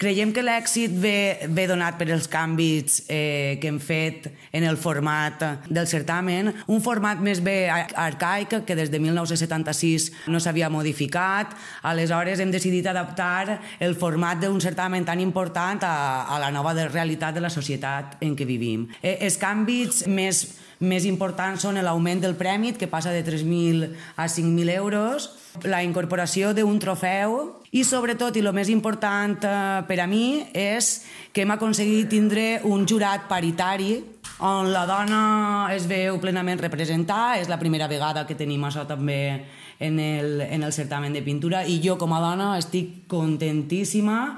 Creiem que l'èxit ve donat per els canvis que hem fet en el format del certamen, un format més bé arcaic que des de 1976 no s'havia modificat. Aleshores hem decidit adaptar el format d'un certamen tan important a la nova realitat de la societat en què vivim. Els canvis més importants són l'augment del premi, que passa de 3.000 a 5.000 euros, la incorporació d'un trofeu i, sobretot, i el més important per a mi, és que hem aconseguit tindre un jurat paritari on la dona es veu plenament representada. És la primera vegada que tenim això també en el certamen de pintura i jo com a dona estic contentíssima